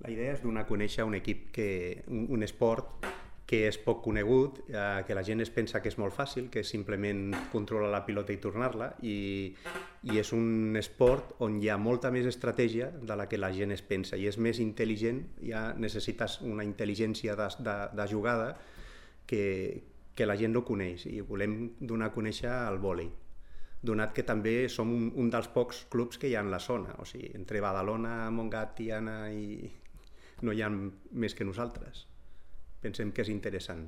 La idea és donar a conèixer un equip, un esport que és poc conegut, que la gent es pensa que és molt fàcil, que és simplement controlar la pilota i tornar-la, i és un esport on hi ha molta més estratègia de la que la gent es pensa, i és més intel·ligent, ja necessites una intel·ligència de jugada que la gent no coneix, i volem donar a conèixer el vòlei, donat que també som un dels pocs clubs que hi ha en la zona, o sigui, entre Badalona, Montgat, Tiana i no hi ha més que nosaltres. Pensem que és interessant.